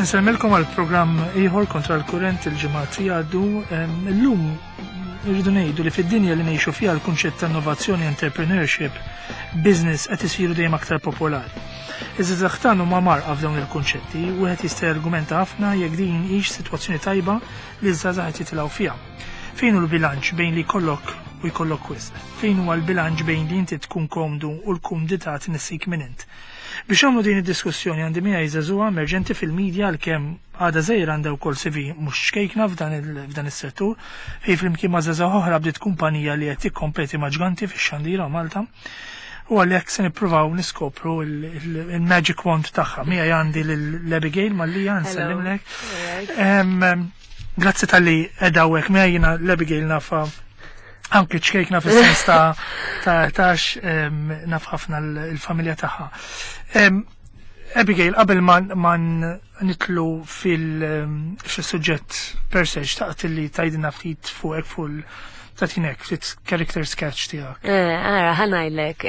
Insellmilkom għal programm ieħor kontra l-kurrent il-ġimgħat li jgħaddu. Illum irridu ngħidu li fid-dinja li ngħixu fiha l-kunċett ta' innovazzjoni, entrepreneurship, business qed isiru dejjem aktar popolari. Iż-żgħażagħ tagħna huma mgħarrqa f'dawn il-kunċetti, wieħed jista' jargumenta ħafna jekk din hix sitwazzjoni tajba li ż-żgħażagħ qed jitilgħu fiha. Fejn hu l-bilanċ bejn li jkollok u jkollok wisq? Fejn huwa l-bilanċ bejn li inti tkun komdu u l-kumdità tnissik min int? Biex nagħmlu din id-diskussjoni għandi miegħi żagħżugħa emerġenti fil-media għalkemm għadha żgħira għandha wkoll CV mhux ċkejkna f'dan is-settur fejn flimkien ma' żgħażagħ oħra bdiet kumpanija li qed tikkompeti ma' ġganti fix-xandira Malta. U għalhekk se nippruvaw niskopru il-magic wand tagħha. Miegħi għandi lil Abigail Mallia nsellimlek. Grazzi talli qiegħda hawnhekk miegħi jiena l-Abigail nafa anki ċkejkna fis-sens ta' ta' tax naf ħafna l-familja tagħha. Abigail, qabel ma nitlu fil-suġġett per se, xtaqt li tgħidilna ftit fuqek fuq tagħtinek ftit character sketch tiegħek. Eh, ara, ħa ngħidlek.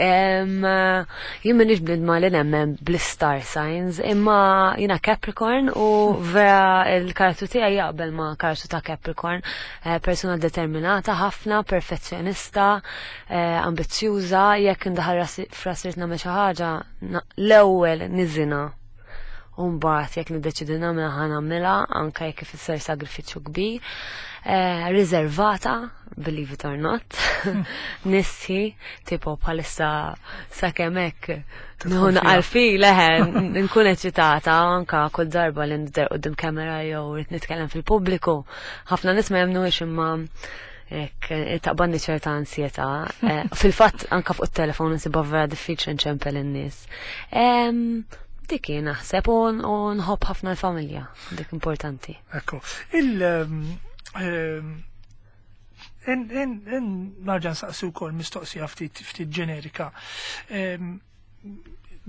Jien m'iniex bniedma li nemmen bl-star signs, imma jiena Capricorn u vera il-karattru tiegħi jaqbel ma' karattru ta' Capricorn. Eh, persuna determinata ħafna, perfezzjonista, eh, ambizzjuża, jekk indaħal f'rasi nagħmel xi ħaġa, l-ewwel niżinha. U mbagħad jekk niddeċidi nagħmilha ħa nagħmilha anke jekk ifisser sagrifiċċju kbir. Eh, riservata, believe it or not, nissi, tipo bħalissa sakemm hekk nieħu naqal fi leħe, nkun eċitata anka kull darba li nidher quddiem kamera jew rrid nitkellem fil-pubbliku. Ħafna nies ma jemmnuhiex imma hekk taqbadni ċerta ansjetà. Eh, fil-fatt anka fuq it-telefon insibha vera diffiċli nċempel in-nies. Dik hi naħseb u nħobb ħafna l-familja, dik importanti. Ekku. Il ehm, Narġa' nsaqsi wkoll mistoqsija ftit ftit ġenerika. Ehm,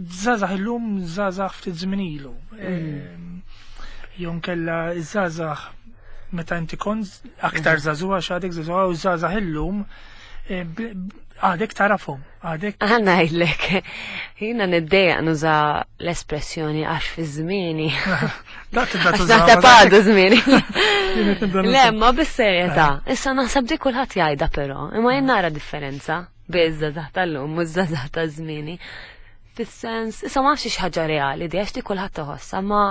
żgħażagħ illum żgħażagħ ftit żmien ilu. Mm. Ehm, jew nkella żgħażagħ meta inti kont aktar mm. żagħżugħa x'għadek żagħżugħa u żgħażagħ illum eh, għadek tarafhom, għadek. Ħa ngħidlek, jiena niddejjaq nuża l-espressjoni għax fi żmieni. Dak tibda tuża. Naħseb għadu żmieni. Le, ma bis-serjetà. Eh. Issa naħseb dik kulħadd jgħidha però, imma jien nara differenza bejn iż-żgħażagħ tal-lum u ż-żgħażagħ ta' żmieni. Fis-sens, issa ma nafx ħaġa reali di għax di kulħadd iħossha, ma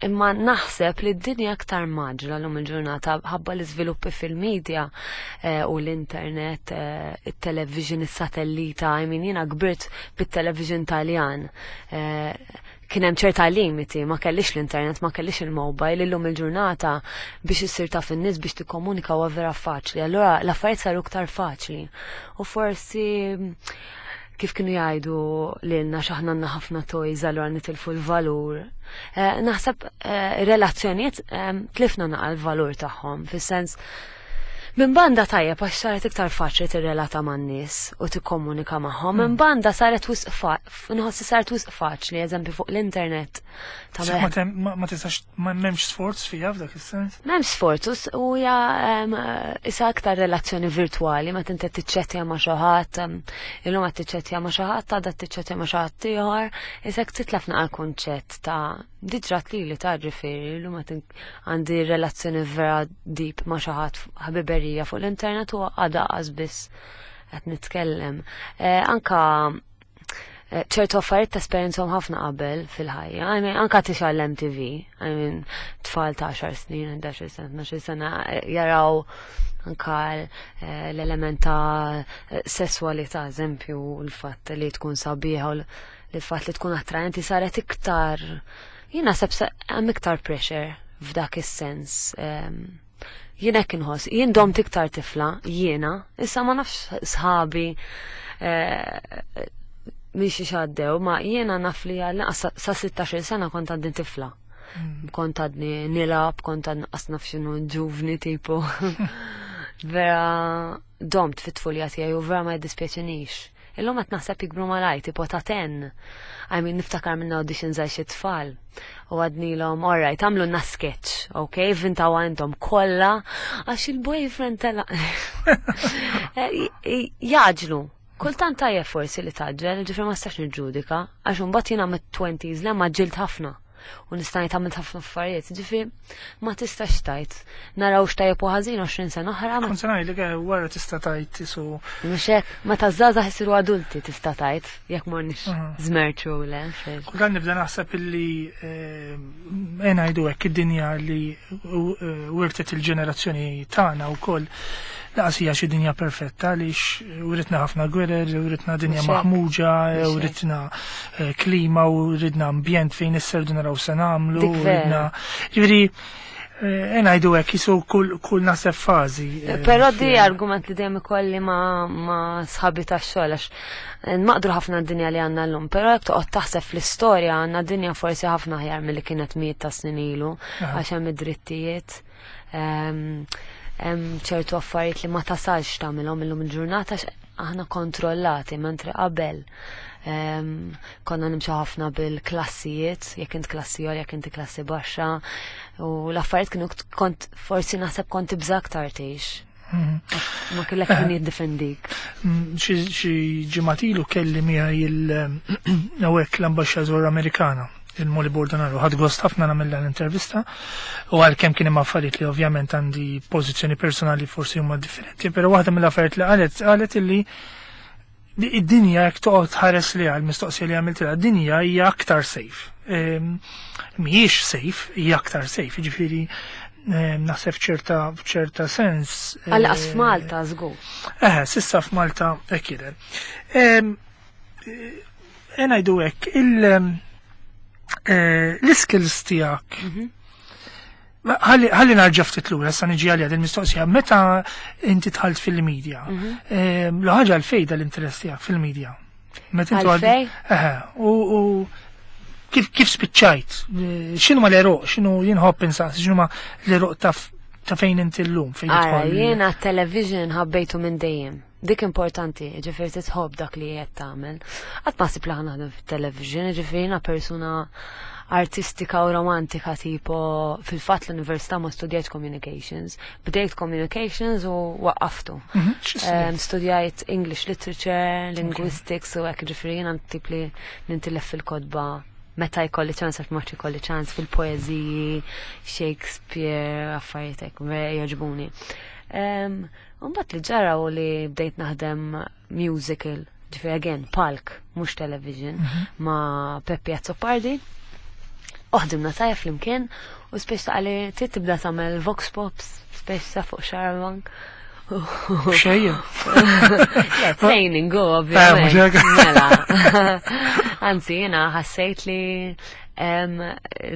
imma naħseb li d-dinja aktar mgħaġġla llum il-ġurnata ħabba l-iżviluppi fil-medja eh, u l-internet, eh, it-television, is-satellita, I mean jiena kbirt bit-television Taljan. Eh, kien hemm ċerta limiti, ma kellix l-internet, ma kellix il-mobile, illum il-ġurnata biex issir taf in-nies biex tikkomunika huwa vera faċli. Allura l-affarijiet saru iktar faċli. U forsi kif kienu jgħidu lilna x'aħna għandna ħafna toys allura nitilfu l-valur. Eh, naħseb eh, relazzjonijiet eh, tlifna naqa l-valur tagħhom fis-sens Minn banda tajjeb għax saret iktar faċli tirrelata man-nies u tikkomunika magħhom, minn banda saret wisq nħossi saret wisq faċli, eżempju fuq l-internet. Ma tistax Ma m'hemmx sforz fiha f'dak is-sens? M'hemmx sforz u hija issa aktar relazzjoni virtwali meta inti tiċċettja ma' xi ħadd, illum qed tiċċettja ma' xi ħadd, għadha tiċċettja ma' xi ħadd ieħor, issa titlef naqa' kunċett ta' diġrat lili ta' ġifieri, illum qed għandi relazzjoni vera deep ma' xi ħadd ħbiberija fuq l-internet u għadha qas biss qed nitkellem. Eh, anka Eh, ċertu affarijiet tesperjenzhom ħafna qabel fil-ħajja. I mean, anka tixgħal l-MTV, I mean, tfal ta' 10 snin, 11 sena, 12 sena eh, jaraw anka eh, l-element ta' sessualità, eżempju, l-fatt li tkun sabiħa u l-fatt li tkun attraenti saret iktar, jien naħseb hemm iktar pressure f'dak is-sens. Ehm, Jien hekk inħoss, jien domt iktar tifla, jiena, issa ma nafx sħabi eh, minn xi xaddew, ma jiena naf li għal sa 16 sena kont għadni tifla. Mm. Kont għadni nilab, kont għadni qas naf x'inhu ġuvni tipo. Vera domt fit-tfulja tiegħi u vera ma jiddispjaċinix. Illum qed naħseb jikbru malajr, tipo ta' ten. I mean, niftakar minn auditions għal xi tfal. U għadnilhom, all right, għamlu sketch, ok, vintaw intom kollha, għax il-boyfriend tela. Eh, jaġlu. Kultant tajjeb forsi li taġġel, ġifri ma stax niġġudika, għax imbagħad jiena mit-20s le ma ġilt ħafna. U nista' ngħid għamilt ħafna affarijiet. Ġifieri ma tistax tgħid. Naraw x'tajjeb u ħażin 20 sena oħra. Kont se ngħidlek wara tista' tgħid isu. Mhux hekk, meta żgħażagħ isiru adulti tista' tgħid jekk morniex żmerċu le. Kultant nibda naħseb illi ngħidu hekk id-dinja li wirtet il-ġenerazzjoni tagħna wkoll laqas hija xi dinja perfetta għaliex uritna ħafna gwerer, uritna dinja maħmuġa, uritna klima u ridna ambjent fejn isserdu naraw se nagħmlu, ridna. Ġifieri ngħidu hekk jisu kull naħseb fażi. Però di argument li dejjem ikolli ma' sħabi tax-xogħol għax nmaqdru ħafna d-dinja li għandna llum, però jekk toqgħod taħseb fl-istorja għandna dinja forsi ħafna aħjar milli kienet mijiet ta' snin ilu għax hemm id-drittijiet. Hemm ċertu affarijiet li ma tasalx tagħmilhom illum il-ġurnata aħna kontrollati, mentri qabel konna nimxu ħafna bil-klassijiet, jekk int klassi għolja, jekk inti klassi baxxa, u l-affarijiet kienu kont forsi naħseb kont tibża' aktar tgħix. Ma kellek min jiddefendik. Xi ġimgħat ilu kelli miegħi hawnhekk l-ambaxxatur Amerikana, il-Molly Bordonaro, ħadt gost ħafna nagħmilha l-intervista u għalkemm kien hemm affarijiet li ovvjament għandi pożizzjoni personali forsi huma differenti, però waħda mill-affarijiet li qalet, qalet illi id-dinja jekk toqgħod tħares li għal mistoqsija li għamiltilha, id-dinja hija aktar safe. Mhijiex safe, hija aktar safe, jiġifieri naħseb f'ċerta sens. Għal-qas f'Malta żgur. S'issa f'Malta hekk jidher. Ngħidu hekk, l-skills tiegħek. Ħalli narġa' ftit lura, issa niġi għalija din mistoqsija. Meta inti dħalt fil-media, l-ħaġa għalfejn l-interess tiegħek fil-media? Meta inti Għalfejn? U kif spiċċajt? X'inhu ma l-eruq? X'inhu jinħobb insaqs? X'inhu ma l-eruq ta' fejn inti llum? Fejn Ara, tidħol? jiena television ħabbejtu minn dejjem. Dik importanti, ġifieri titħobb dak li qed tagħmel. Qatt ma ħsib li ħa naħdem fit-television, ġifieri jiena persuna artistika u romantika, tipo fil-fatt l-università ma studjajt communications, bdejt communications u waqqaftu. X'istudjajt? Studjajt English literature, linguistics u hekk, ġifieri jiena tip li nintilef fil-kotba meta jkolli ċans, għax ma jkolli ċans, fil-poeżiji, Shakespeare, affarijiet hekk, vera jogħġbuni. Mbagħad li ġara u li bdejt naħdem musical, ġifieri again, palk, mhux television, ma' Peppi Azzopardi. U ħdimna tajjeb flimkien u speċi ta' li trid tibda tagħmel vox pops, speċi ta' fuq Xarabank. Xejja. Le, training, go, ovvjament. Mhux hekk. Mela. Anzi, jiena ħassejt li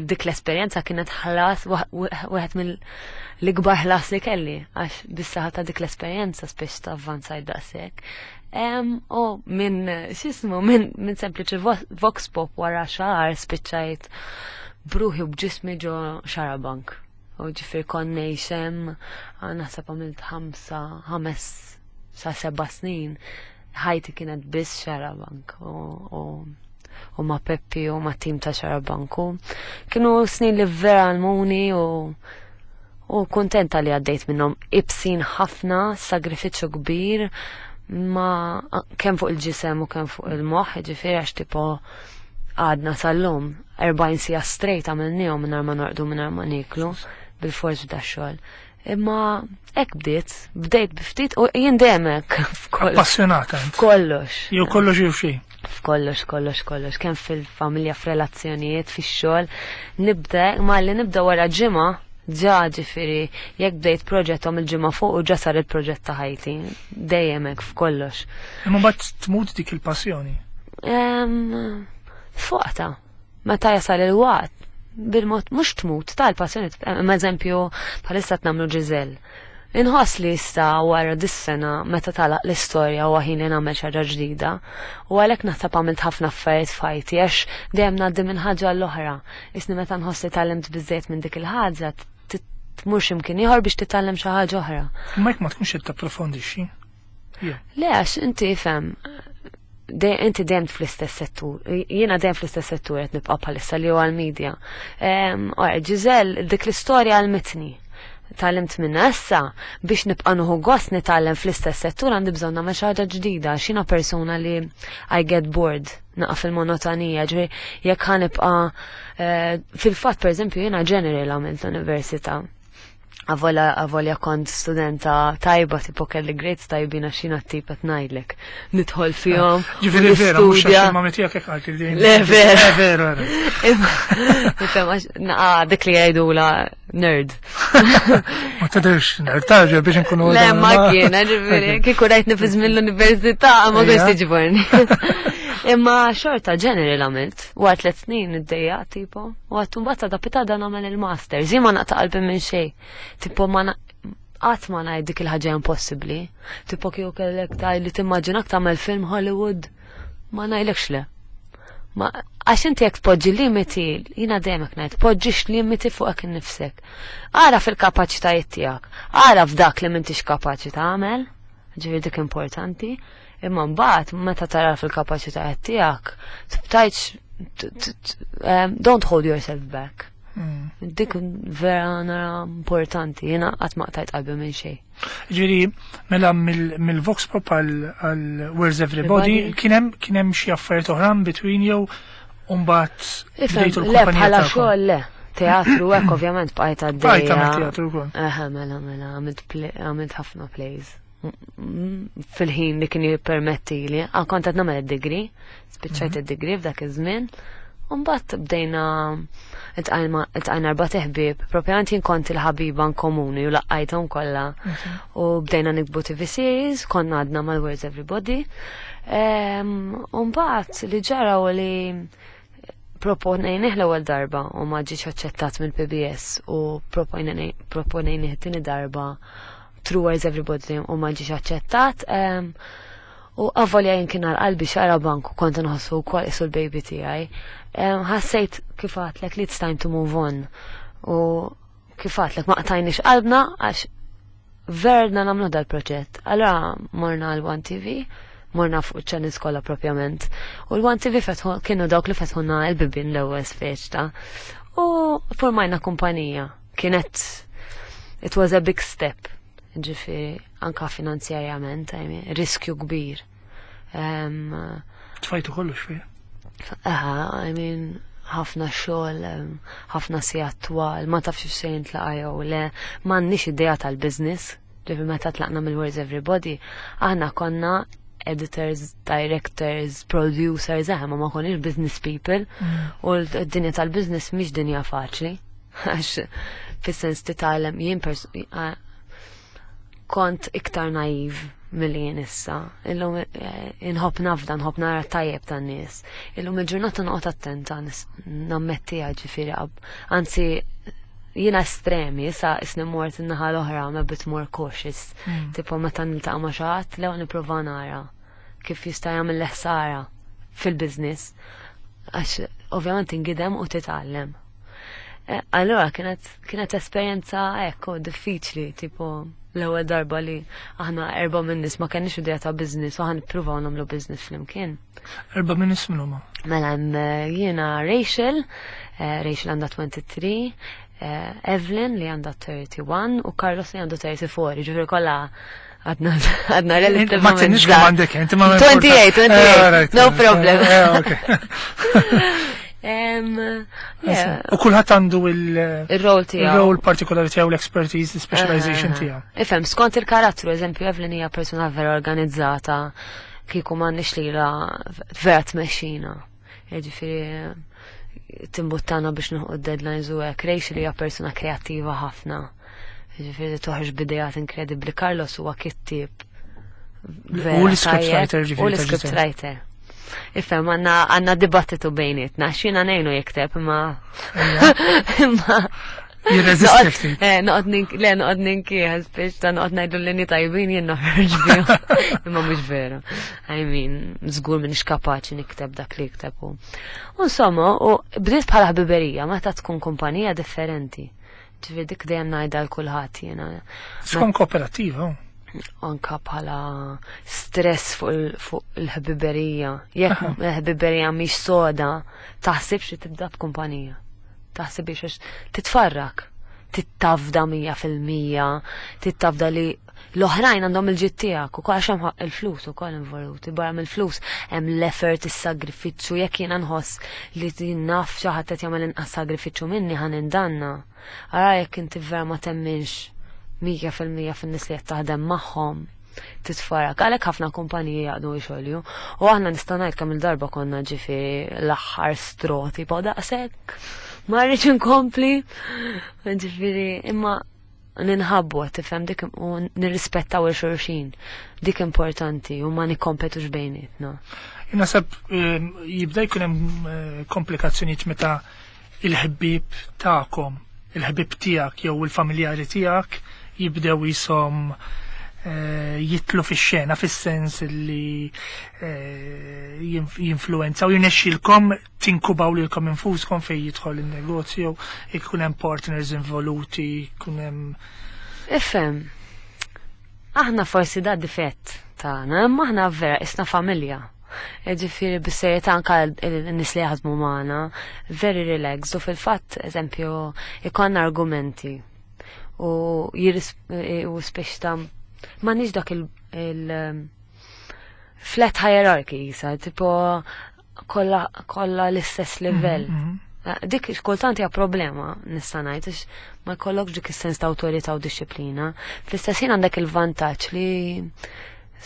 dik l-esperjenza kienet ħlas, wieħed mill-ikbar ħlas li kelli, għax bis-saħħa ta' dik l-esperjenza speċi ta' avvanzajt daqshekk. U minn, x'ismu, minn sempliċi vox pop wara xahar spiċċajt bruħi u b'ġismi ġo Xarabank. U ġifieri kont ngħix hemm, naħseb għamilt 5 sa 7 snin, ħajti kienet biss Xarabank u ma' Peppi u ma' tim ta' Xarabank. U kienu snin li vera għallmuni u kontenta li għaddejt minnhom, ibsin ħafna, sagrifiċċju kbir, ma kemm fuq il-ġisem u kemm fuq il-moħħ, ġifieri għax tipo għadna sal-lum 40 siegħa straight għamilnihom mingħajr ma norqdu, mingħajr ma nieklu, bil-forz b'da xogħol. Imma hekk bdiet, bdejt biftit u jien dejjem hekk f'kollox. Appassionata int. F'kollox. Jew kollox jew xejn. F'kollox, kollox, kollox, kemm fil-familja, f'relazzjonijiet, fix-xogħol, nibda, ma li nibda wara ġimgħa, ġa ġifieri, jekk bdejt proġett għom il-ġimgħa fuq u ġa sar il-proġett ta' ħajti, dejjem hekk f'kollox. Imma mbagħad tmut dik il-passjoni. Fuqta, meta jasal il-waqt, bil-mod mhux tmut tal-passjoni, ma eżempju bħalissa qed nagħmlu Giselle. Inħoss li issa wara dis-sena meta talaq l-istorja u ħin li nagħmel xi ħaġa ġdida, u għalhekk naħseb għamilt ħafna affarijiet f'ħajti għax dejjem ngħaddi minn ħaġa l-oħra. Isni meta nħoss li tgħallimt biżżejjed minn dik il-ħaġa, tmur x'imkien ieħor biex titgħallem xi ħaġa oħra. Imma jekk ma tkunx qed tapprofondixxi. Le, għax inti fhem, inti dejjem fl-istess settur. Jiena dejjem fl-istess settur qed nibqa' bħalissa li huwa l-media. Ora, Giselle, dik l-istorja għalmitni. Tgħallimt minna issa biex nibqa' nieħu gost nitgħallem fl-istess settur għandi bżonn nagħmel xi ħaġa ġdida għax jiena persuna li I get bored naqa' fil-monotonija, ġifieri jekk ħa nibqa' fil-fatt pereżempju jiena general għamilt l-università. Avolja kont studenta tajba, tipo kelli grades tajbin għax jiena t-tip qed ngħidlek. Nidħol fihom. Ġifieri vera, mhux għax il-mami tiegħek hekk qalt li. Le vera. Vera, vera. Ifhem għax naqa' dik li jgħidula nerd. Ma tidhirx nerd, taġel biex nkunu. Le ma kien, ġifieri, kieku rajtni fi żmien l-università ma kontx tiġborni. Imma xorta general għamilt, wara 3 snin iddejjaq tipo. U għattu mbagħad ta' pitada nagħmel il-master. Zi ma naqta' qalbi minn xejn. Tipo ma qatt ma ngħid dik il-ħaġa impossibbli. Tipo kieku kellek tgħid li timmaġinak tagħmel film Hollywood, ma ngħidlekx le. Ma għax inti jekk tpoġġi limiti, jiena dejjem hekk ngħid, tpoġġix limiti fuqek innifsek. Ara fil-kapaċitajiet tiegħek, ara f'dak li m'intix kapaċi tagħmel, ġifieri dik importanti, imma mbagħad meta tara fil-kapaċitajiet tiegħek, tibtajx don't hold yourself back. Dik vera nara importanti, jiena qatt ma qtajt qalbi minn xejn. Ġifieri, mela mill-Vox Pop għal Where's Everybody, kien hemm xi affarijiet oħra in between jew mbagħad Ifhem, bdejtu le, l-kumpanija bħala tagħkom? xogħol le. Teatru hekk ovvjament bqajt għaddejja. Bqajt tagħmel teatru wkoll. Eħe, mela, mela, għamilt ħafna plays. Fil-ħin li kien jippermettili. Ah, kont qed nagħmel id-degree, spiċċajt id-degree f'dak iż-żmien. U mbagħad bdejna iltqajna erba' teħbieb, propjament jien kont il-ħabiba komuni u laqqajthom kollha. U bdejna nikbu TV series, konna għadna mal-Where's Everybody. U mbagħad li ġara u li proponejnih l-ewwel darba u ma ġiex aċċettat mill-PBS u proponejnih it-tieni darba through Where's Everybody u ma ġiex aċċettat. U avolja jien kien għal qalbi Xarabank u kont nħossu wkoll isu l-baby tiegħi. Ħassejt kif għadtlek li it's time to move on. U kif għadtlek ma qtajniex qalbna għax verna nagħmlu dal-proġett. Allora morna għal One TV, morna fuq channels kollha propjament. U l-One TV kienu dawk li fetħuna l-bibien l-ewwel speċ ta' u formajna kumpanija. Kienet, it was a big step. Ġifieri, anka finanzjarjament, I mean, riskju kbir. Tfajtu kollox fija? Aha, I mean, ħafna xogħol, ħafna sigħat twal, ma tafx x'se jintlaqa' jew le, m'għandniex idea tal-business. Ġifieri meta tlaqna mill-Where's Everybody, aħna konna editors, directors, producers, ma ma konniex business people. U d-dinja tal-business mhix dinja faċli. Għax fis-sens titgħallem jien kont iktar naiv milli jien issa. Illum inħobb nafda, nħobb nara tajjeb tan-nies. Illum il-ġurnata noqgħod attenta nammettiha ġifieri anzi jiena estremi, issa isni mort in-naħa l-oħra, I'm a bit more cautious. Tipo meta niltaqa' ma' xi ħadd, lew nipprova nara kif jista' jagħmel l-ħsara fil-business. Għax ovvjament ingidem u titgħallem. Allora kienet esperjenza ekku diffiċli, tipo l-ewwel darba li aħna erba' minn nies ma kenniex idea ta' business u aħna nippruvaw nagħmlu business flimkien. Erba' minn nies minn huma? Mela hemm jiena Rachel, Rachel għandha 23, Evelyn li għandha 31 u Carlos li għandu 34, ġifieri kollha għadna relativament Ma tinix kemm żgħar. għandek, inti ma 28, 28. Right. No problem. Okay. U kulħadd għandu Il-role tiegħu. il-role partikolari tiegħu, l-expertise, l-specialization tiegħu. Ifhem, skont il-karattru, eżempju, Evelyn hija persuna vera organizzata, kieku m'għandniex lilha vera tmexxina. Jiġifieri timbuttana biex nilħqu d-deadlines u hekk. Rachel hija persuna kreattiva ħafna. Jiġifieri toħroġ b'idejat inkredibbli. Carlos huwa kittieb. U l-script Vera writer, tajjeb. ġifieri, U l-script ta' ġifieri. writer. Ifhem, għandna dibattitu bejnietna, x'jiena ngħinu jikteb, imma imma Jirreżisti ftit. Noqgħod le, noqgħod ninkieħ, biex ta' noqgħod ngħidu l-linji tajbin jien noħroġ bihom. Imma mhux vera. I mean, żgur m'iniex kapaċi nikteb dak li jikteb hu. U insomma, u bdiet bħala ħbiberija, meta tkun kumpanija differenti. Ġifieri dik dejjem ngħidha l kulħadd jiena. Skont kooperativa, oh. Anka bħala stress fuq il-ħbiberija. Jekk il-ħbiberija mhix soda, taħsibx li tibda b'kumpanija. Taħsibx għax titfarrak. Trid tafda 100%, trid tafda li l-oħrajn għandhom il-ġid tiegħek ukoll, għax hemm il-flus ukoll involuti, barra mill-flus hemm l-effort, is-sagrifiċċju. Jekk jiena nħoss li naf xi ħadd qed jagħmel inqas sagrifiċċju minni, ħa nindanna. Ara jekk inti vera ma temminx 100% fin-nies li qed taħdem magħhom, titfarak. Għalhekk ħafna kumpaniji jaqdu jxolju. U aħna nista' ngħid kemm il-darba konna, ġifieri, l-aħħar straw, tipo daqshekk. Ma rridx inkompli. Ġifieri, imma ninħabbu, tifhem, dik u nirrispettaw il-xulxin. Dik importanti u ma nikkompetux bejnietna. Naħseb jibda jkun hemm komplikazzjonijiet meta il-ħbieb tagħkom, il-ħbieb tiegħek jew il-familjari tiegħek jibdew jisom jidħlu fix-xena, fis-sens li jinfluenza u jirnexxilkom tinkubaw lilkom infuskom fejn jidħol il-negozju, ikun hemm partners involuti, ikun hemm Ifhem, aħna forsi da difett tagħna, imma aħna vera isna familja. Ġifieri bis-serjetà, anka n-nies li jaħdmu magħna, very relaxed, u fil-fatt, eżempju, ikollna argumenti u jiris u speċ ta' m'għandniex dak il flat hierarchy jisa, tipo kolla kolla l-istess livell. Dik kultant hija problema, nista' ngħid, għax ma jkollokx dik is-sens ta' awtorità u dixxiplina. Fl-istess ħin għandek il-vantaġġ li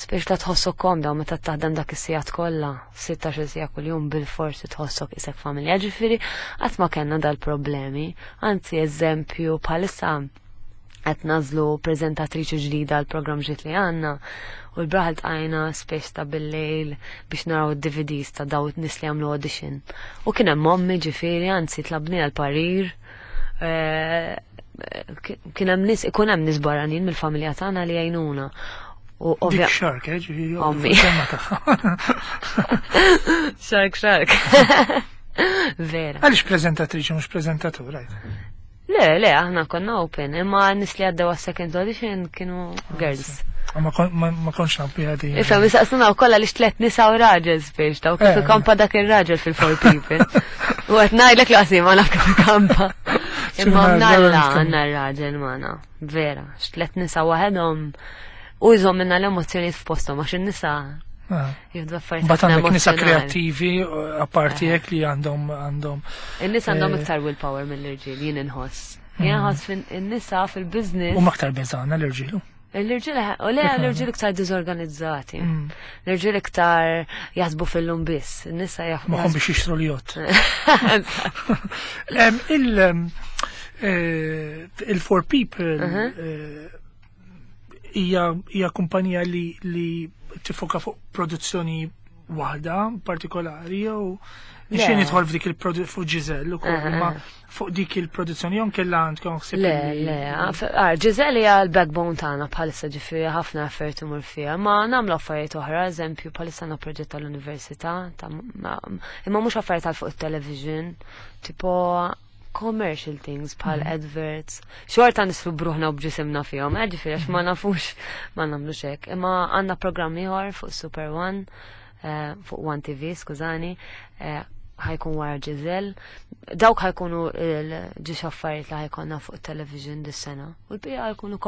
speċ ta' tħossok komda, u meta taħdem dak is-sigħat kollha, 16 siegħa kuljum, bil-forsi tħossok isek familja. Ġifieri qatt ma kellna dal-problemi. Anzi, eżempju, bħalissa qed nagħżlu preżentatriċi ġdida għal programm ġdid li għandna u l-bieraħ iltqajna speċ ta' bil-lejl biex naraw id-DVDs ta' daw nies li għamlu audition. U kien hemm ommi, ġifieri, anzi tlabni għal parir. Kien hemm nies, ikun hemm nies barranin mill-familja tagħna li jgħinuna. U Dik ovvja shark, ġifieri. Ommi. Semma tagħha. Shark, shark. Vera. Għaliex preżentatriċi mhux preżentatur, right? Le, le, aħna konna open, imma nies li għaddew għas-second audition kienu girls. Ma kontx naf biha din. Issa, misaqsuna u kolla li xtlet nisa u raġel speċ, ta' u kif ikampa dak il-raġel fil-Four People. U qed ngħidlek li qasim ma naf kif ikampa. Imma Xi mnalla raġel. għandna r-raġel magħna, vera, xtlet nisa waħedhom u jżomm minna l-emozzjonijiet f'posthom, għax in-nisa jieħdu affarijiet Mbagħad ħafna għandek nisa emozzjonali. kreattivi, apparti hekk, li għandhom In-nisa għandhom iktar willpower mill-irġiel, jien inħoss. Jien inħoss in-nisa fil-business. U aktar beżana l-irġielu. L-irġiel, u le, l-irġiel iktar diżorganizzati. L-irġiel iktar jaħsbu fil-lum biss. In-nisa jaħsbu. Moħħhom biex jixtru l-jott. Il-Four People hija kumpanija li tifoka fuq produzzjoni waħda partikolari jew Le. nixtieq nidħol f'dik il-produzzjoni fuq Giselle ukoll, imma fuq dik il-produzzjoni jew kella għandkom ħsieb Le, le, Giselle hija l-backbone tagħna bħalissa, ġifieri ħafna effort imur fiha, ma nagħmlu affarijiet oħra, eżempju, bħalissa għandna proġett tal-università, imma mhux affarijiet tal fuq it-television, tipo commercial things bħal adverts. Xorta nislu bruħna u bġisimna fihom, ġifieri għax ma nafux ma nagħmlux hekk. Imma għandna programm ieħor fuq Super One, fuq One TV, skużani, ħa jkun wara Giselle. Dawk ħa jkunu l-ġiex affarijiet li ħa jkollna fuq television dis-sena. U l-bqija ħa jkunu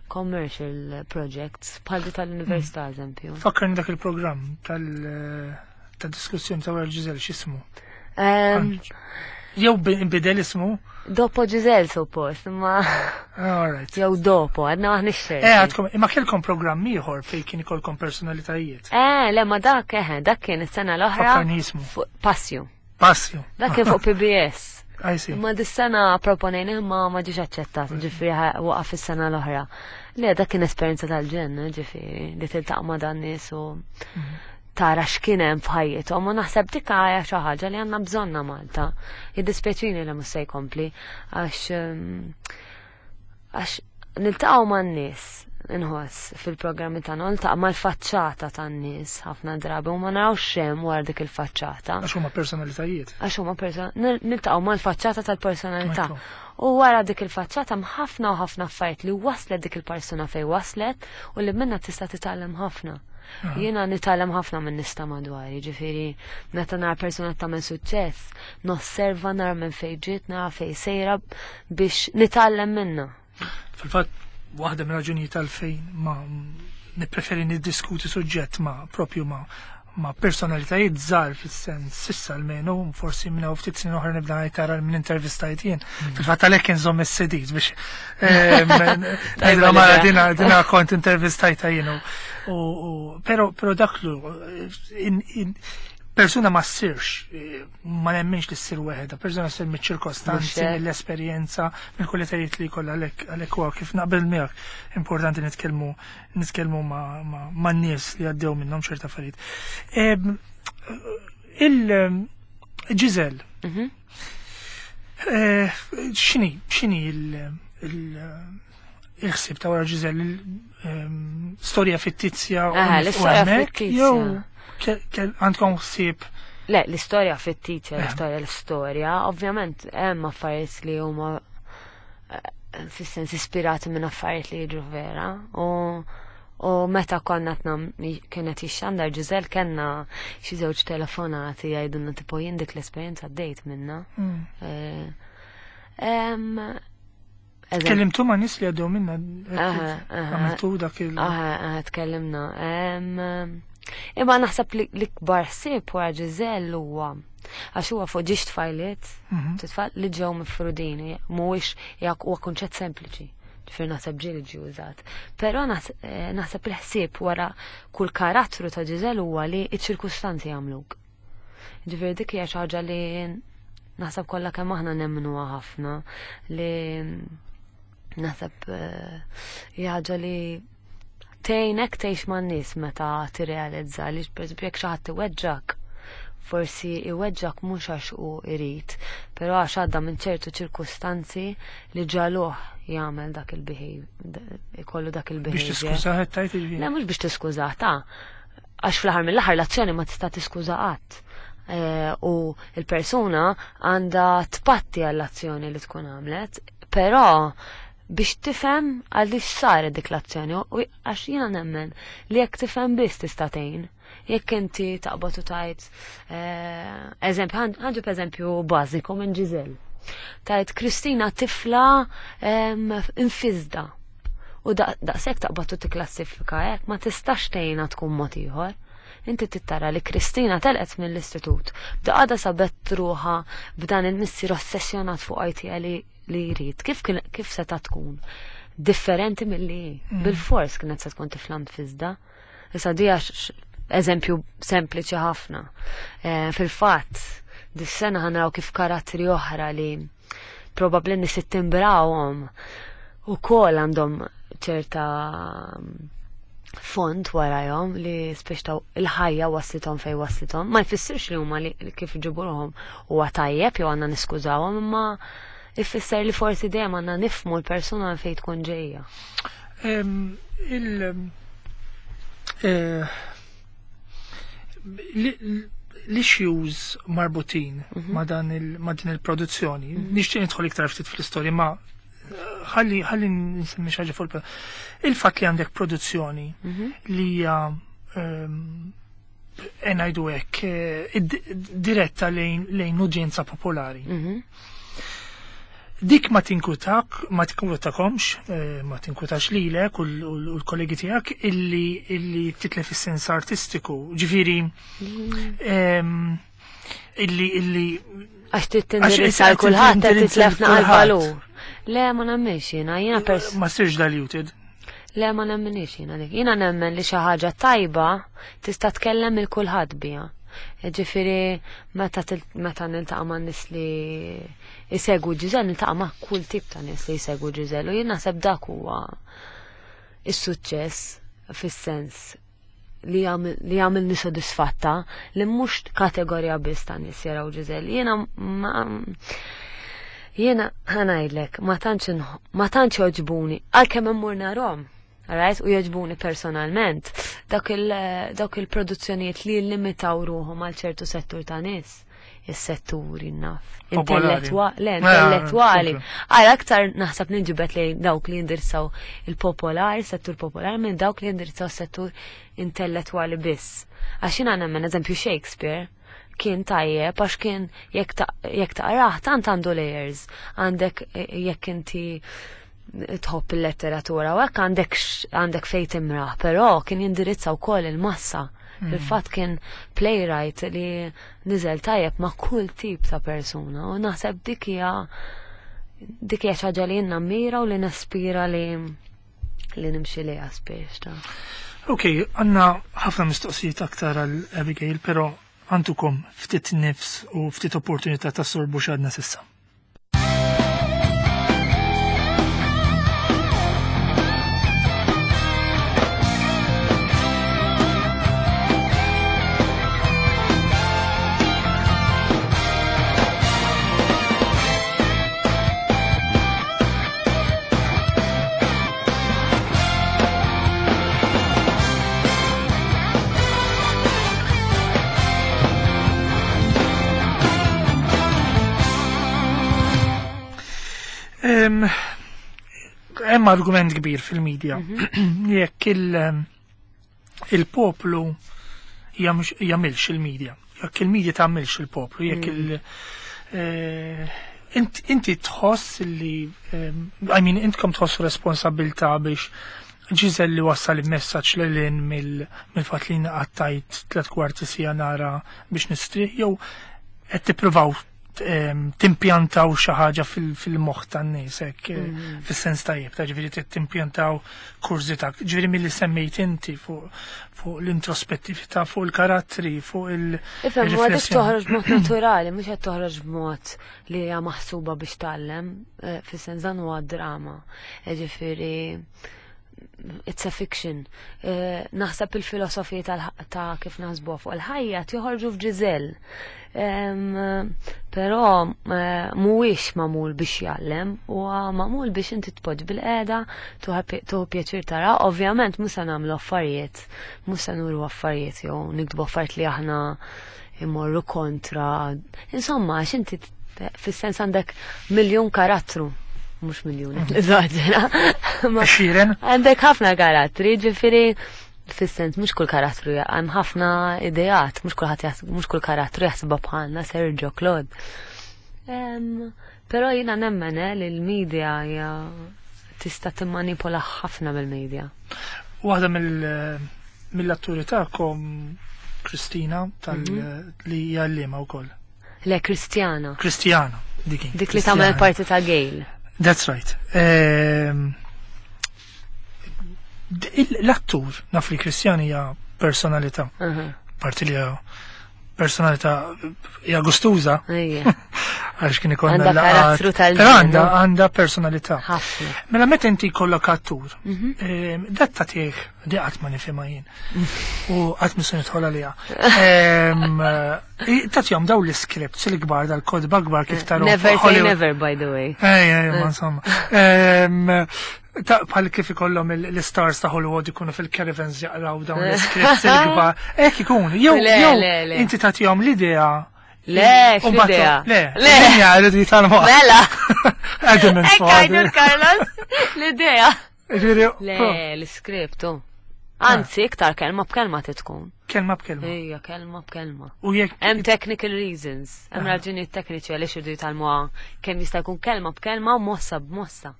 commercial projects bħal di tal-università, eżempju. Fakkarni dak il-programm ta' diskussjoni ta' wara Giselle, x'ismu? Jew bidel ismu? Dopo Giselle suppost, imma All right. jew dopo, għadna maħniex ċerti. Għadkom, imma kellkom programm ieħor fejn kien ikolkom personalitajiet. Le, ma dak, dak kien is-sena l-oħra. Fakkarni ismu. Fuq Passju. Passju. Dak kien fuq PBS. I see. Imma dis-sena proponejna imma ma ġiex aċċettat, ġifieri waqaf is-sena l-oħra. Le, dak kien esperjenza tal-ġenn, ġifieri, li tiltaqa' ma' dan nies u tara x'kien hemm f'ħajjithom, u naħseb dik hija xi ħaġa li għandna bżonna Malta. Jiddispjaċini li mhux se jkompli għax niltaqgħu man-nies, inħoss fil-programmi tagħna niltaqgħu mal-faċċata tan-nies ħafna drabi u ma narawx x'hemm wara dik il-faċċata. Għax huma personalitajiet. Għax huma niltaqgħu mal-faċċata tal-personalità. Ekku. U wara dik il-faċċata hemm ħafna u ħafna affarijiet li waslet dik il-persuna fej waslet u li minna tista' titgħallem ħafna. Jiena nitgħallem ħafna minn nies ta' madwari, ġifieri meta nara persuna tagħmel suċċess, nosserva nara minn fejn ġiet, nara fejn sejra biex nitgħallem minnha. Fil-fatt, waħda minn raġunijiet għalfejn ma nippreferi niddiskuti suġġett ma propju ma personalitajiet żgħar fis-sens sissa almenu, forsi minn hawn ftit snin oħra nibda ngħid tara minn intervistajt jien. Fil-fatt għalhekk inżomm is-CDs biex ngħidilha mara dina kont intervistajta jien u però dak lu persuna ma ssirx, ma nemminx li ssir weħeda, persuna ssir miċ-ċirkostanzi, mill-esperjenza, mill-kwalitajiet li jkollha għalhekk huwa kif naqbel miegħek importanti nitkellmu ma' nies li għaddew minnhom ċerta affarijiet. Il-Giselle. X'inhi il-ħsieb ta' wara Giselle? Storja fittizja u L-istorja hemmhekk, fittizja. Jew għandkom ħsieb? Le, l-istorja fittizja, l-istorja, ovvjament hemm affarijiet li huma fis-sens ispirati minn affarijiet li jiġru vera. U meta konna tnam kienet jixxandar Giselle kellna xi żewġ telefonati jgħidulna tipo jien dik l-esperjenza għaddejt minna. Tkellimtu ma' nies li għaddew minna? Aha. Għamiltu dak il- Aha, tkellimna. Imma naħseb li l-ikbar ħsieb wara Giselle huwa għax huwa fuq ġiex tfajliet, tfal li ġew mifrudin, mhuwiex jak huwa kunċett sempliċi. Ġifieri naħseb ġieli ġie użat. Però naħseb il-ħsieb wara kull karattru ta' Giselle huwa li ċ-ċirkustanzi jagħmluk. Ġifieri dik hija xi ħaġa li naħseb kollha kemm aħna nemmnuha ħafna li naħseb hija ħaġa li tgħinek tgħix man-nies meta tirrealizza li pereżempju jekk xi ħadd iweġġak, forsi iweġġak mhux għax hu irid, però għax għadda minn ċertu ċirkustanzi li ġaluh jagħmel dak il-behavior, ikollu dak il-behavior. Biex tiskużah qed tgħid jiġifieri? Le, mhux biex tiskużah, ta' għax fl-aħħar mill-aħħar l-azzjoni ma tista' tiskuża qatt. U l-persuna għandha tpatti għall-azzjoni li tkun għamlet, però biex tifhem għaliex saret dik l-azzjoni, u għax jiena nemmen li jekk tifhem biss tista' tgħin. Jekk inti taqbad u tajt, eżempju, ħanġib eżempju bażiku minn Giselle. Tajt Kristina tifla infizda. U daqshekk taqbad u tikklassifika hekk ma tistax tgħinha tkun mod ieħor. Inti tittara li Kristina telqet mill-istitut. B'daqqa sabet ruħha b'dan il-missier ossessjonat fuq IT li jrid. Kif seta' tkun differenti milli hi? Bil-fors kienet se tkun tifla mfizda. Issa di għax eżempju sempliċi ħafna. Fil-fatt, dis-sena ħanraw kif karattri oħra li probabbli nies ittimbrawhom ukoll għandhom ċerta fond warajhom li speċtaw il-ħajja waslithom fej waslithom. Ma jfissirx li huma li kif ġibuhom huwa tajjeb jew għandna niskużawhom, imma ifisser li forsi dejjem għandna nifhmu l-persuna fejn tkun ġejja. L-issues marbutin ma' din il-produzzjoni, nixtieq nidħol iktar ftit fl-istorja, ma ħalli nsemmi xi ħaġa fuq il-fatt li għandek produzzjoni li hija ngħidu hekk diretta lejn udjenza popolari. Dik ma tinkutak, ma tinkwetakomx, ma tinkwetax lilek u l-kollegi tiegħek illi titlef is-sens artistiku. Ġifieri, illi Għax trid tindirizza Għax għal kulħadd, trid tindirizza titlef naqal kulħadd. valur. Le, ma nemminx jiena, jiena pers- Ma ssirx diluted. Le, ma nemminx jiena dik. Jiena nemmen li xi ħaġa tajba tista' tkellem il kulħadd biha. Ġifieri meta niltaqa' ma' nies li jsegwu Giselle, niltaqa' ma' kull tip ta' nies li jsegwu Giselle, u jien naħseb dak huwa is-suċċess fis-sens li jagħmilni sodisfatta li mhux kategorija biss ta' nies jaraw Giselle. Jiena ma jiena ħanajdlek, ma tantx jogħġbuni, għalkemm immur narhom, right? U jogħġbuni personalment, dawk il-produzzjonijiet li jillimitaw ruħhom għal ċertu settur ta' nies. is-setturi naf. Popolari. Le, Ah, intellettwali. ok. Għal aktar naħseb ninġibet li dawk li jindirizzaw il-popolari, settur popolari, minn dawk li jindirizzaw settur intellettwali biss. Għax jiena nemmen eżempju Shakespeare kien tajjeb għax kien jekk taqrah tant għandu layers, għandek jekk inti tħobb il-letteratura u hekk għandek fejn timraħ, però kien jindirizza wkoll il-massa. Fil-fatt kien playwright li niżel tajjeb ma' kull tip ta' persuna u naħseb dik hija xi ħaġa li jien nammira u li naspira li nimxi lejha spiex ta'. Ok, għandna ħafna mistoqsijiet aktar għal Abigail, però għandukom ftit nifs u ftit opportunità ta' sorbu x'għadna s'issa. Hemm argument kbir fil-medja. Jekk il-poplu jagħmilx il-medja, jekk il-medja tagħmilx il-poplu, jekk inti tħoss li, I mean, intkom tħossu responsabilità biex Ġiżel li wassal il-messaġġ lil hinn mill-fatt li qattajt 3/4 sija nara biex nistrieħ, jew qed tippruvaw timpjantaw xi ħaġa fil-moħħ tan-nies hekk, fis-sens tajjeb, ta' ġifieri timpjantaw kurżità, ġifieri milli semmejt inti fuq l-introspettività, fuq il-karattri, fuq il- Ifhem, huwa dik riflessjoni. toħroġ b'mod naturali, mhux qed toħroġ b'mod li hija maħsuba biex tgħallem, fis-sens dan huwa drama. Ġifieri it's a fiction. Naħseb il-filosofija ta' kif naħsbuha fuq il-ħajja joħorġu f'Ġiżel. Però mhuwiex magħmul biex jgħallem, huwa magħmul biex inti tpoġġ bil-qiegħda, tuħu pjaċir tara. Ovvjament mhux se nagħmlu affarijiet, mhux se nuru affarijiet jew niktbu affarijiet li aħna immorru kontra. Insomma, għax inti fis-sens għandek miljun karattru. Mhux miljun, eżaġera. Ma Għexieren? Għandek ħafna karattri, ġifieri fis-sens mhux kull karattru hemm ħafna ideat, mhux kulħadd mhux kull karattru jaħsibha bħalna Sergio Claude. Però jiena nemmen li l-media hija tista' timmanipola ħafna mill-media. Waħda mill-atturi tagħkom, Kristina, li hija għalliema wkoll. Le, Kristjana. Kristjana, dik hi. Dik li tagħmel Kristjana. parti ta' Gail. That's right. L-attur, naf li Kristjana hija personalità. Parti li hija personalità hija gustuża. Għax kien ikollna Għandha laqgħat. karattru tal-ġen, Però no? għandha personalità. Ħafna. Mela meta inti jkollok attur, dat tagħtih, di qatt ma nifhimha jien. U qatt mhux se nidħol għaliha. Tagħtihom dawn l-iscripts il-kbar dal-kodba kbar kif taraw Never say Hollywood. never, by the way. Ej, ej, ma insomma. Bħal kif ikollhom l-stars ta' Hollywood ikunu fil-caravans jaqraw dawn l-scripts il-kbar. Hekk ikun, Le, jew le, le. inti tagħtihom l-idea. Le, U mbagħad x'idea? Le, Le. l-idea jridu jitgħallmu. Mela. Adam and Hekk għajdu Father. l-Carlos, l-idea. Ġifieri, Le, pro. l-script, oh. Anzi, iktar kelma b'kelma titkun. Kelma b'kelma. Ejja, kelma b'kelma. U jekk Hemm technical reasons, hemm raġunijiet tekniċi għaliex iridu jitgħallmuha kemm jista' jkun kelma b'kelma u mossa b'mossa.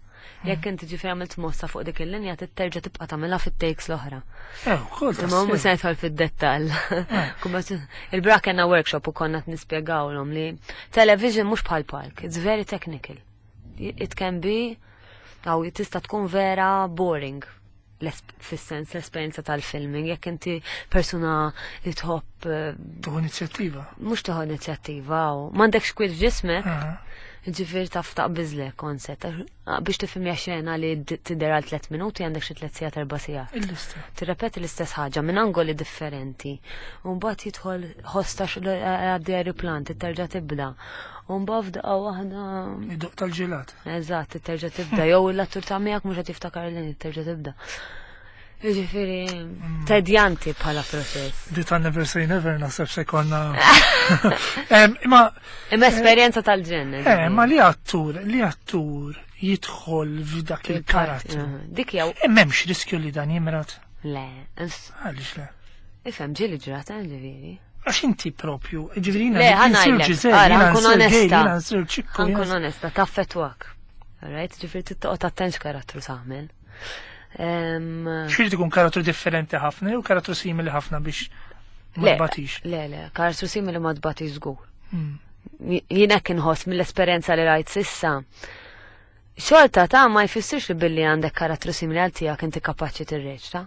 Jekk inti ġifieri għamilt mossa fuq dik il-linja, titterġa' tibqa' tagħmilha fit-takes l-oħra. Ukoll Imma mhux tassew. se nidħol fid-dettall. Kumma il-bra kellna workshop u konna qed nispjegawlhom li television mhux bħal park, it's very technical. It can be, aw tista' tkun vera boring. Fis-sens l-esperjenza tal-filming, jekk inti persuna li tħobb, Tieħu inizjattiva. Mhux tieħu inizjattiva, u m'għandekx kwiet f'ġismek. Ġifieri taf taqbiżlek konset. Biex tifhimja xena li tidher għal 3 minuti għandek xi 3 sigħat 4 sigħat. Il-lista. Tirrepeti l-istess ħaġa minn angoli differenti. U mbagħad jidħol ħosta għaddi aeroplan, titterġa' tibda. U mbagħad f'daqqa waħda Id-doq tal-ġelat. Eżatt, titterġa' tibda. Jew l-attur ta' miegħek mhux qed jiftakar li titterġa' tibda. Jiġifieri tedjanti bħala proċess. Di ta' Never Say Never naħseb se konna. Imma Imma esperjenza tal-ġenn. Eh, ma li attur, li attur jidħol f'dak il-karattru. Dik jew. Eh, m'hemmx riskju li dan jimrad. Le. Għaliex le? Ifhem ġieli ġrat, eh, ġifieri. Għax inti propju, ġifieri Le, ħa ngħidlek, ara, nkun onesta. Nkun onesta, taffetwak. Right, ġifieri tittoqgħod attent x'karattru tagħmel. X'irid ikun karattru differenti ħafna jew karattru simili ħafna biex ma tbatix? Le, le, karattru simili ma tbatix żgur. Jien hekk inħoss mill-esperjenza li rajt sissa. Xorta ta' ma jfissirx li billi għandek karattru simili għal tiegħek inti kapaċi tirreċta.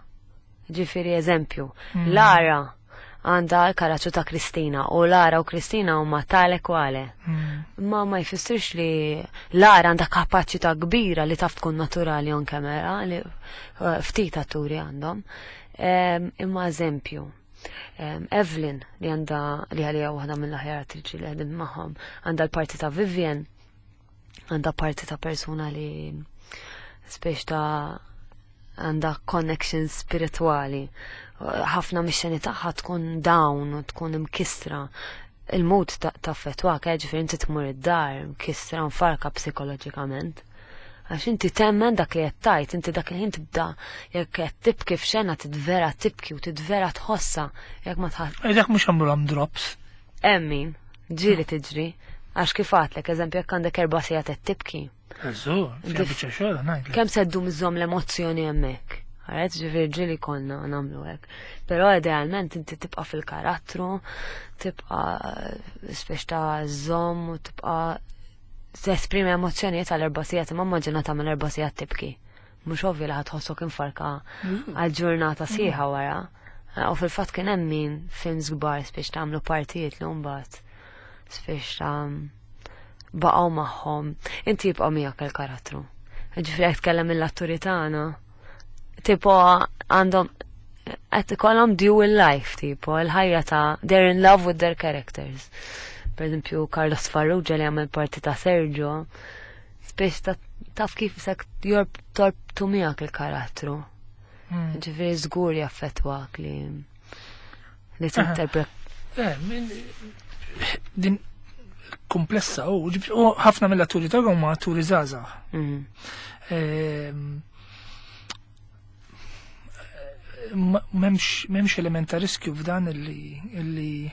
Ġifieri eżempju, Lara għandha l-karattru ta' Kristina u Lara u Kristina huma tale kwale. Ma ma jfissirx li Lara għandha kapaċità kbira li taf tkun naturali on camera li ftit atturi għandhom. Imma eżempju, Evelyn li għandha li għalija waħda mill-aħjar attriċi li ħdimt magħhom, għandha l-parti ta' Vivian, għandha parti ta' persuna li spiex ta' għandha connection spirituali. Ħafna mix-xeni tagħha tkun down u tkun imkistra. Il-mod taffettwak, ġifieri inti tmur id-dar mkistra mfarka psikoloġikament. Għax inti temmen dak li qed tgħid, inti dak il-ħin tibda jekk qed tibki f'xena tidvera tibki u tidvera tħossha jekk ma tħass. Dak mhux għamlu drops. Hemm min, ġieli tiġri. Għax kif għadtlek, eżempju, jekk għandek 4 sigħat qed tibki. Eżu, fija biċċa xogħol ngħidlek. Kemm se ddum iżżomm l-emozzjoni hemmhekk? Għaret, ġifieri ġieli konna nagħmlu hekk. Però idealment inti tibqa' fil-karattru, tibqa' spex ta' żomm u tibqa' tesprimi emozzjonijiet għal 4 sigħat, imma immaġina tagħmel 4 sigħat tibki. Mhux ovvju li ħadd tħossok infarka għal ġurnata sħiħa wara. U fil-fatt kien hemm min films kbar spiex tagħmlu partijiet li mbagħad spiex ta' baqgħu magħhom. Inti jibqa' miegħek il-karattru. Ġifieri jekk tkellem mill-atturi tagħna, tipo għandhom qed ikollhom dual life, tipo il-ħajja ta' they're in love with their characters. Per eżempju, Carlos Farrugia li għamel parti ta' Sergio, spiex taf kif sek torbtu miegħek il-karattru. Ġifieri żgur jaffettwak li tinterpret. Din komplessa u ħafna mill-atturi tagħhom huma atturi żgħażagħ. M'hemmx element ta' riskju f'dan illi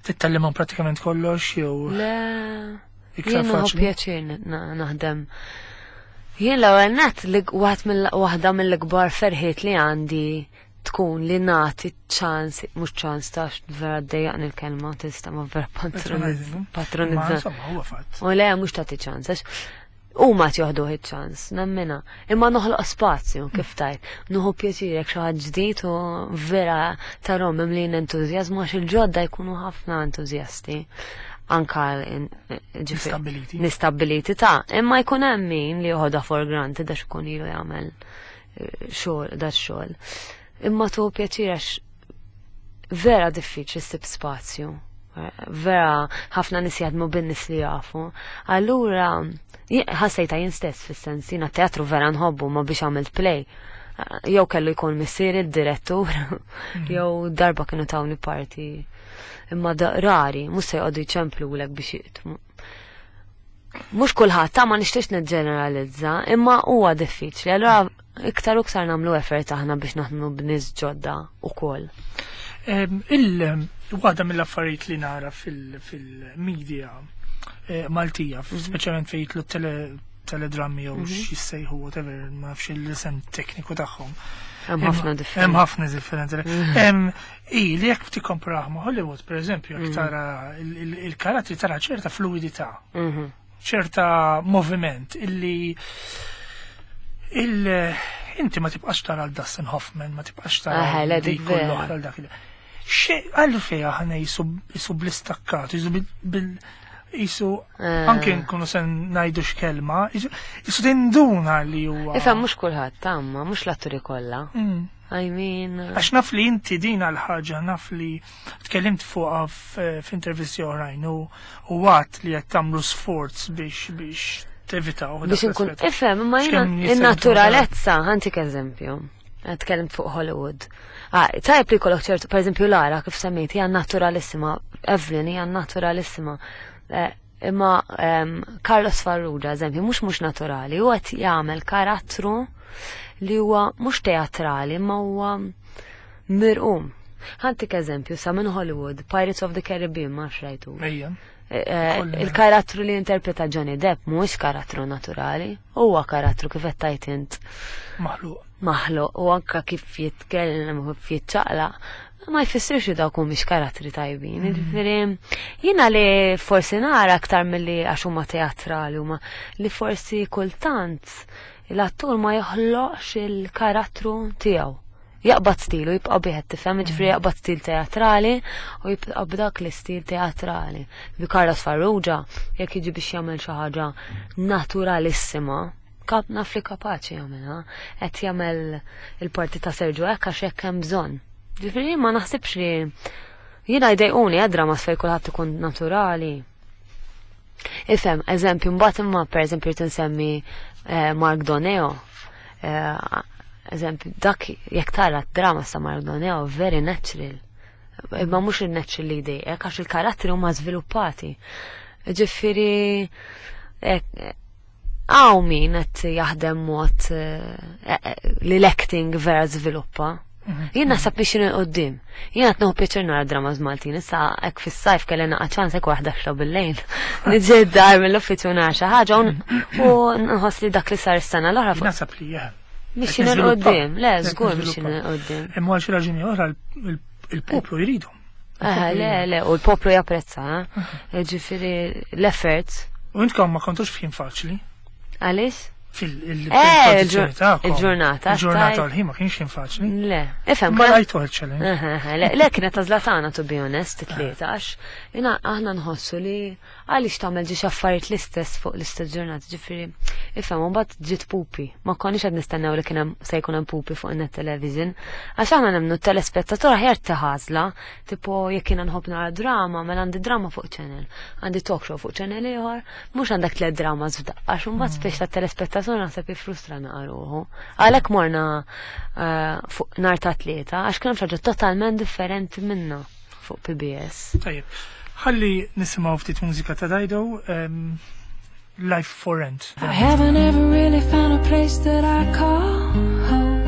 tittallimhom pratikament kollox jew Le, iktar jien nieħu faċli. pjaċir naħdem. Jien l-ewwel nett li waħda mill-ikbar ferħiet li għandi tkun li nagħti ċans, mhux ċans ta' vera ddejjaqni l-kelma, tista' ma vera Patronizing. patronizza. Ma insomma, huwa fatt. U le, mhux tagħti ċans, għax huma joħduh iċ-ċans, nemmina. Imma noħloq spazju, kif tajt. Nuħu pjaċir jekk xi ħadd ġdid u vera tarhom mimlin entużjażmu għax il-ġodda jkunu ħafna entużjasti. Anka ġifieri Nistabbiliti. Nistabbiliti ta' imma jkun hemm min li joħodha for granted għax ikun ilu jagħmel xogħol, da xogħol. Imma tuħu pjaċir għax vera diffiċli ssib spazju. Vera ħafna nies jaħdmu bin-nies li jafu. Allura ħassejta jien stess fis-sens, jiena teatru vera nħobbu ma biex għamilt play. Jew kellu jkun missieri d-direttur, jew darba kienu tawni parti. Imma rari, mhux se jqogħdu jċemplulek biex jiqtmu. Mhux kulħadd, ta' ma nixtiex niġġeneralizza, imma huwa diffiċli. Allura iktar u iktar nagħmlu effort aħna biex naħdmu b'nies ġodda ukoll. Waħda mill-affarijiet li nara fil-media Maltija, speċjalment fejn jitlu teledrammi jew x'jissejħu whatever, ma nafx l-isem tekniku tagħhom. Hemm ħafna differenti. Hemm ħafna differenti. I li jekk tikkomparah ma' Hollywood, per eżempju, jekk tara il-karattri tara ċerta fluidità, ċerta moviment illi inti ma tibqax tara l Dustin Hoffman, ma tibqax tara Le, dik dik u vera. l-oħra l dak il- Xi għalfejn aħna jisu bl-istakkat, jisu bil-, jisu anke nkunu se ngħidu x'kelma, jisu tinduna li huwa. Ifhem mhux kulħadd tamma, mhux l-atturi kollha. I mean, Għax naf li inti din għal-ħaġa, naf li tkellimt fuqha f'intervisti oħrajn u għat li qed tagħmlu sforz biex tevitaw dak Biex inkun l-aspett. ifhem, imma jiena X'kemm jista' jkun in-naturalezza, ħantik eżempju. Tkellimt fuq Hollywood. Ah, tajjeb li jkollok ċertu, per eżempju Lara kif semmejt, hija naturalissima, Evelyn hija naturalissima. Imma Carlos Farrugia, eżempju, mhux mhux naturali, huwa qed jagħmel karattru li huwa mhux teatrali, imma huwa mirqum. Ħa ntik eżempju, sa minn Hollywood, Pirates of the Caribbean, ma rajtu. Ejja. Il-karattru li interpreta Johnny Depp mhuwiex karattru naturali, huwa karattru kif qed tgħid int Maħluq. Maħluq u anka kif jitkellem u kif jiċċaqlaq ma jfissirx li dawk mhumiex karattri tajbin. Jiġifieri jiena li forsi nara aktar milli għax huma teatrali huma li forsi kultant l-attur ma joħloqx il-karattru tiegħu. Jaqbad stilu, jibqa' bih, tifhem, jiġifieri jaqbad stil teatrali u jibqa' b'dak l-istil teatrali. Bi Carlos Farrugia, jekk jiġi biex jagħmel xi ħaġa naturalissima, kap naf li kapaċi jagħmilha, qed jagħmel il-parti ta' Sergio hekk għax hekk hemm bżonn. Ġifieri ma naħsibx li jiena jdejquni dramas fejn kulħadd ikun naturali. Ifhem, eżempju, mbagħad imma pereżempju rrid insemmi Mark Doneo. Eżempju, dak jekk tara drama sa Mark Doneo, very natural. Imma mhux il-natural li jdejqek għax il-karattri huma żviluppati. Ġifieri hawn min qed jaħdem mod li l-acting vera żviluppa. Jien naħseb biex 'il quddiem. Jien qed nieħu pjaċir nara dramas Maltin. Issa hekk fis-sajf kelli naqa' ċans hekk waħda xla bil-lejl. Niġi d-dar mill-uffiċċju nara xi ħaġa u nħoss li dak li sar is-sena l-oħra fuq Naħseb li jah. Mixin 'il quddiem, le, żgur mixin 'il quddiem. Imma għal xi raġuni oħra il-poplu jridhom. Eh, le, le, u l-poplu japprezza, eh? Ġifieri l-effort. U intkom ma kontux f'ħin faċli. Għaliex? Fil-produzzjoni tagħkom. Il-ġurnata. Il-ġurnata u l-ħin ma kienx ħin faċli. Le, ifhem. Ma rajtu challenge. Le, le, kienet għażla tagħna, to be honest, it-tlieta, għax jiena aħna nħossu li għaliex tagħmel ġiex affarijiet l-istess fuq l-istess ġurnata, ġifieri, ifhem, u mbagħad ġiet Pupi. Ma konniex qed nistennew li kien hemm se jkun hemm Pupi fuq net television. Għax aħna nemmnu t-telespettatur aħjar taħażla, tipo jekk jiena nħobb nara drama, mela għandi drama fuq channel, għandi talk show fuq channel ieħor, mhux għandek tliet dramas f'daqqa, għax imbagħad speċi tat-telespettatur naħseb jiffrustra naqra ruħu. Għalhekk morna fuq nhar ta' Tlieta, għax kien hemm xi ħaġa totalment differenti minna fuq PBS. Tajjeb, ħalli nisimgħu ftit mużika ta' Dido, Life for Rent. I haven't ever really found a place that I call home.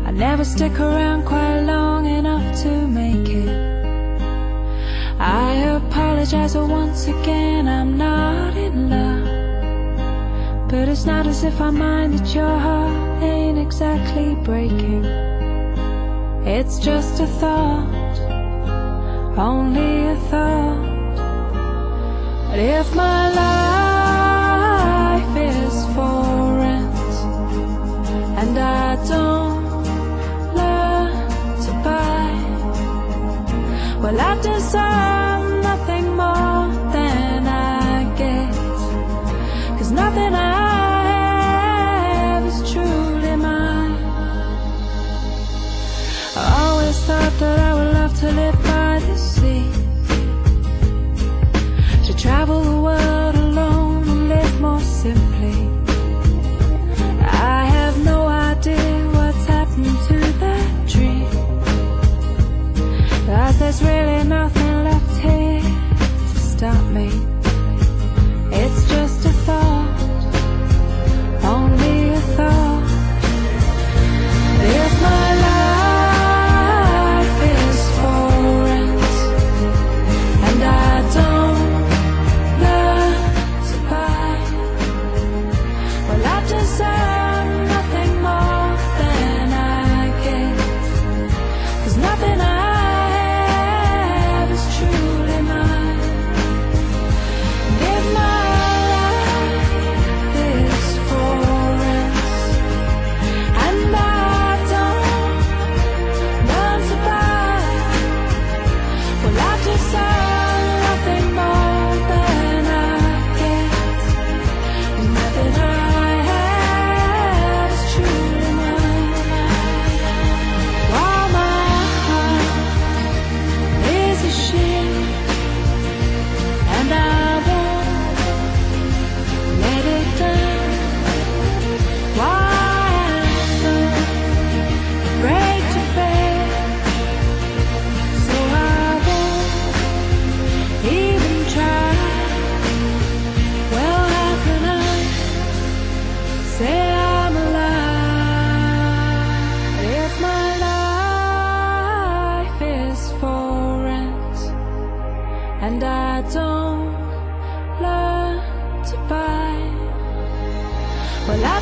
I never stick around quite long enough to make it. I apologize once again, I'm not in love. But it's not as if I mind that your heart ain't exactly breaking. It's just a thought, only a thought. But if my life is for rent and I don't learn to buy, well, I deserve nothing more than I get, 'cause nothing I have is truly mine. I always thought that I would love to live by the sea, to travel the world alone and live more simply. I have no idea what's happened to that dream, 'cause there's really nothing left here to stop me. It's just a thought, only a thought. If my life is for rent and I don't learn to buy, well, I deserve nothing more than I get, 'cause nothing I have is truly mine.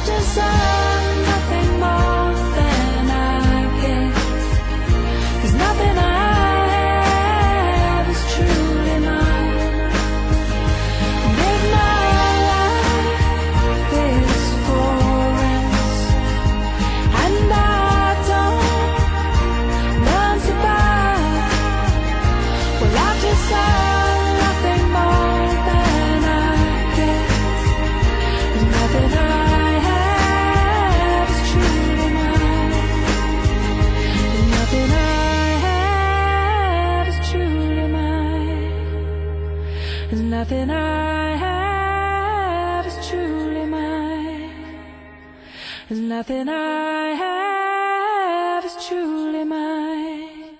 I've deserved nothing more than I get. 'Cause nothing I have is truly mine. And if my life is for rent, and I don't learn to buy, well, I've deserved nothing more than I get. 'Cause nothing I have is truly mine. And nothing I have is truly mine. And nothing I have is truly mine. And nothing I have is truly mine.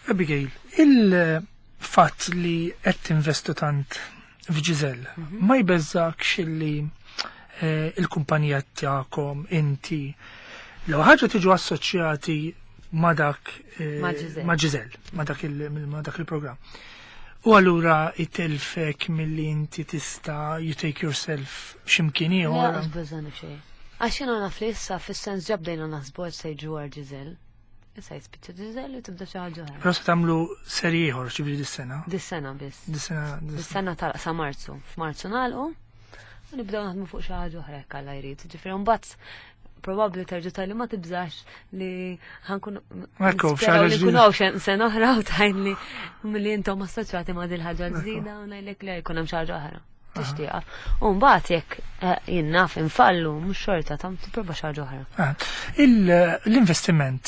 Abigail, il-fatt li qed tinvestu tant f'Ġiżel ma jbeżżakx li il-kumpanija tagħkom inti l ħaġa tiġu assoċjati ma' dak Ma' Ġiżel. Ma' Ġiżel, ma' dak il-programm. U allura itelfek milli inti tista' you take yourself x'imkien Le, ieħor. lanqas beżgħani xejn. Għax jiena naf li issa fis-sens ġa bdejna naħsbu għal se jiġu għal Ġiżel. Issa jispiċċa Ġiżel u tibda xi ħaġa oħra. Però se tagħmlu serji ieħor ġifieri dis-sena. Dis-sena biss. Dis-sena. Dis-sena tal sa Marzu. F'Marzu nagħlqu u nibdew naħdmu fuq xi ħaġa oħra jekk Alla jrid. Ġifieri mbagħad probabbli terġa' tgħidli ma tibżax li ħa nkun Ekku, f'xi nisperaw ħaġa li ġdida. nkun hawn xi sena oħra u tgħidli milli intom assoċjati ma' dil ħaġa ġdida u ngħidlek li jkun hemm xi ħaġa oħra. Tixtieqa. U mbagħad jekk jien naf infallu mhux xorta tam tipprova xi ħaġa oħra. Ah, l-investiment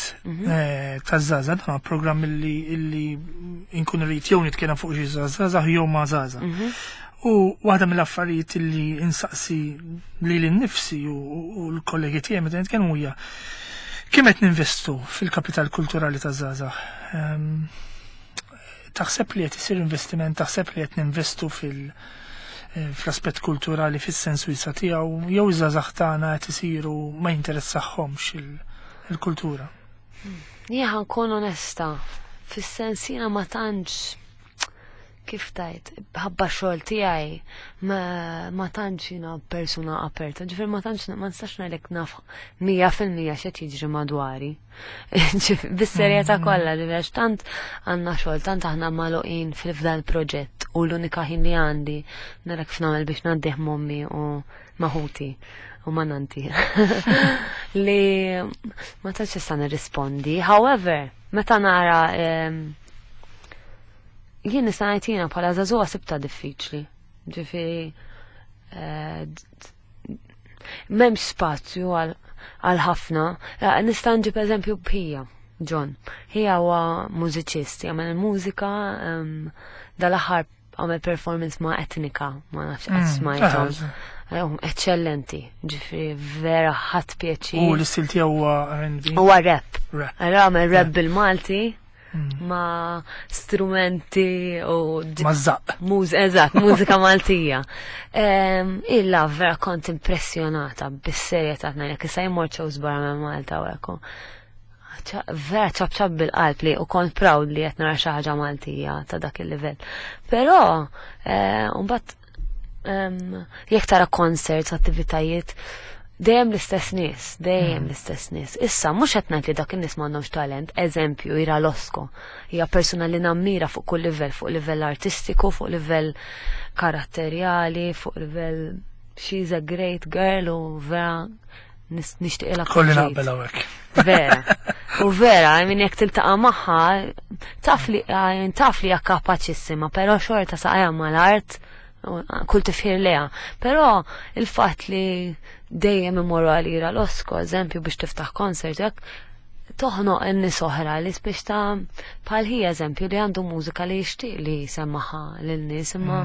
taż-żgħażagħ dan huwa programm illi inkun rrid jew nitkellem fuq xi żgħażagħ jew ma' żgħażagħ. U waħda mill-affarijiet illi insaqsi lili nnifsi u l-kollegi tiegħi meta nitkellmu hija kemm qed ninvestu fil-kapital kulturali taż-żgħażagħ. Taħseb li qed isir investiment, taħseb li qed ninvestu fl-aspett kulturali fis-sens wiesa' tiegħu, jew iż-żgħażagħ tagħna qed isiru ma jinteressahomx il-kultura? Jien ħa nkun onesta, fis-sens jiena ma tantx, kif tajt, ħabba xogħol tiegħi ma tantx jiena persuna aperta, ġifieri ma tantx ma nistax ngħidlek naf 100% x'qed jiġri madwari. Bis-serjetà kollha, ġifieri għax tant għandna xogħol, tant aħna magħluqin fil-fdal proġett u l-unika ħin li għandi nara kif nagħmel biex ngħaddih m'ommi u ma' ħuti u ma' nanti. Li ma tantx nista' nirrispondi. However, meta nara jien nista' ngħid jiena bħala żagħżugħa sibta diffiċli. Ġifieri m'hemmx spazju għal ħafna. Nista' nġib eżempju b'ħija, John. Ħija huwa mużiċist, jagħmel mużika, dal-aħħar għamel performance ma' Etnika, ma nafx qatt smajthom. Eccellenti, ġifieri vera ħadt pjaċir. U l-istil tiegħu huwa R&B? Huwa rap. Rap. Allora għamel rap bil-Malti ma' strumenti u Ma' żaqq. Eżatt, mużika Maltija. Illa vera kont impressjonata bis-serjetà ngħidlek, issa jmur shows barra minn Malta u hekk. Vera ċapċap bil-qalb li u kont proud li qed nara xi ħaġa Maltija ta' dak il-livell. Però mbagħad jekk tara concerts, attivitajiet, dejjem l-istess nies, dejjem l-istess nies. Issa mhux qed ngħid li dak in-nies m'għandhomx talent, eżempju Ira Losco, hija persuna li nammira fuq kull livell, fuq livell artistiku, fuq livell karatterjali, fuq livell she's a great girl u vera nixtieqilha Kolli kull ġid. naqbel hawnhekk. Vera. U vera, I mean, jekk tiltaqa' magħha, taf li, I mean, taf li hija kapaċissima, però xorta saqajja mal-art, u kull tifħir leha. Però il-fatt li dejjem imorru għal Ira Losco, eżempju, biex tiftaħ concert, jekk toħnoq in-nies oħra li biex ta' bħal hi eżempju li għandu mużika li jixtieq li jsemmaha lin-nies, imma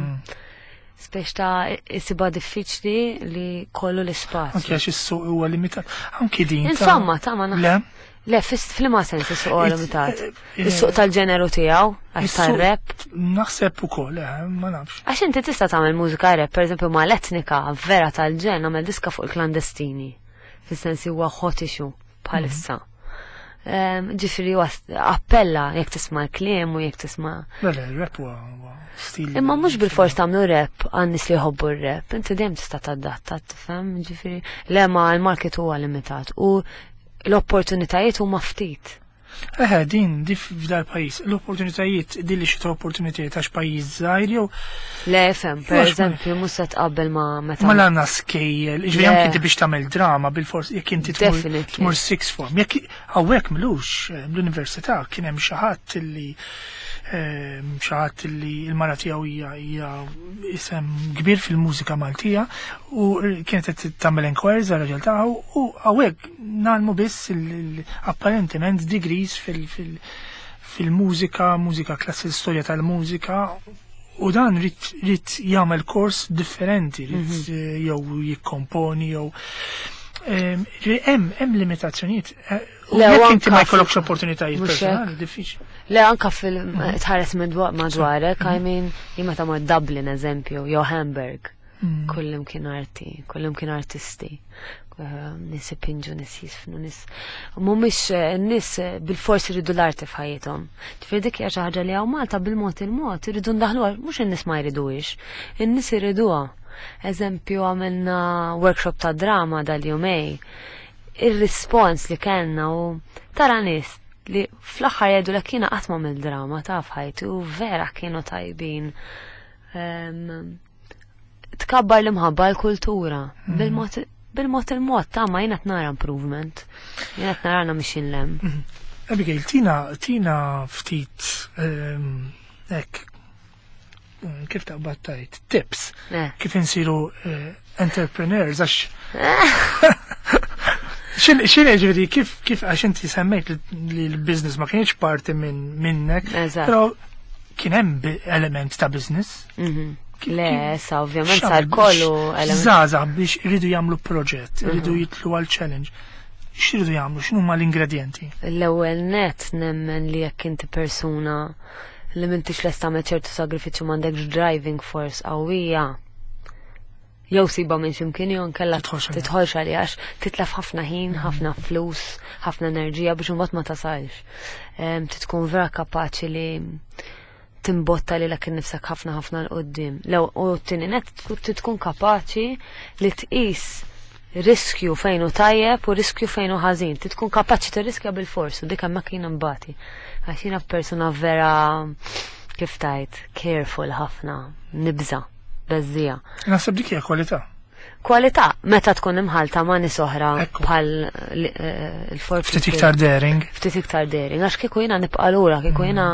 speċ ta' isiba diffiċli li kollu l-ispazju. Anke għax is-suq huwa limitat. Anki din ta' Insomma, ta' ma naf. Le? Le, f'liema sens is-suq huwa limitat. Is-suq tal-ġeneru tiegħu, għax tar-rap. Naħseb ukoll, ma nafx. Għax inti tista' tagħmel mużika rap, pereżempju ma' l-etnika vera tal-ġen, għamel diska fuq il-klandestini. Fis-sens huwa hot issue bħalissa. Ġifieri appella jekk tisma' l-kliem u jekk tisma'. Le, rap huwa stil. Imma mhux bil-fors tagħmlu rap għan-nies li jħobbu r-rap, inti dejjem tista' tadatta, tifhem, ġifieri le ma l-market huwa limitat u l-opportunitajiet huma ftit. Eħe, din, di f'dal pajjiż, l-opportunitajiet, din li xita opportunitajiet għax pajjiż żgħir jew. Le, fem, per eżempju, mhux se tqabbel ma' meta. Ma l-għandna skejjel, ġifieri anke inti biex tagħmel drama bil-fors jekk inti tmur six form, jekk hawnhekk mlux l-università kien hemm xi ħadd illi xi ħadd illi l-mara tiegħu hija hija isem kbir fil-mużika Maltija u kienet qed tagħmel inquiries għal raġel tagħha u hawnhekk nagħmlu biss apparentement degrees fil-mużika, mużika klassi storja tal-mużika u dan rid jagħmel kors differenti, rid jew jikkomponi jew hemm limitazzjonijiet. U Le, jekk inti ma anka jkollokx opportunitajiet Mhux hekk. personali, diffiċli. Le, anka fil-tħares madwarek, I mean, jien meta mort Dublin, eżempju, jew Hamburg, kullim kien arti, kullim kien artisti. Nies ipinġu, nies jisfnu, nies mhumiex nies bil-forsi jridu l-arti f'ħajjithom. Ġifieri dik hija xi ħaġa li hawn Malta bil-mod il-mod iridu ndaħluha, mhux in-nies ma jriduhiex, in-nies iriduha. Eżempju, għamilna workshop ta' drama dal-jumej. Ir-rispons li kellna u tara nies li fl-aħħar jgħidu lek jiena qatt ma mill-drama ta' f'ħajti u vera kienu tajbin. Tkabbar l-imħabba l-kultura bil-mod il-mod ta' ma jiena nara improvement. Jiena nara na mixin lem. Abigail, tina ftit hekk kif taqbad tajt tips kif insiru entrepreneurs għax Xin ġifieri kif għax inti semmejt li l-business ma kienx parti minnek, però kien hemm element ta' business. Le, sa ovvjament sar kollu element. Żgħażagħ biex iridu jagħmlu proġett, iridu jitlu għal challenge. X'iridu jagħmlu, x'inhuma l-ingredjenti? L-ewwel net nemmen li jekk inti persuna li m'intix lest tagħmel ċertu sagrifiċċju m'għandekx driving force qawwija, jew siba minn x'imkien jew nkella Tidħolx għaliha. tidħolx għaliha għax titlef ħafna ħin, ħafna flus, ħafna enerġija biex imbagħad ma tasalx. Tkun vera kapaċi li timbotta li lek innifsek ħafna ħafna 'l quddiem. Lew u t-tieni net tkun kapaċi li tqis riskju fejn hu tajjeb u riskju fejn hu ħażin. Tkun kapaċi tirriskja bil-fors u dik hemmhekk jiena nbati. Għax jiena persuna vera kif tajt, careful ħafna, nibża, beżżija. Naħseb dik hija kwalità. Kwalità meta tkun imħalta ma' nies oħra bħal il-forti. Ftit iktar daring. Ftit iktar daring, għax kieku jiena nibqa' lura, kieku jiena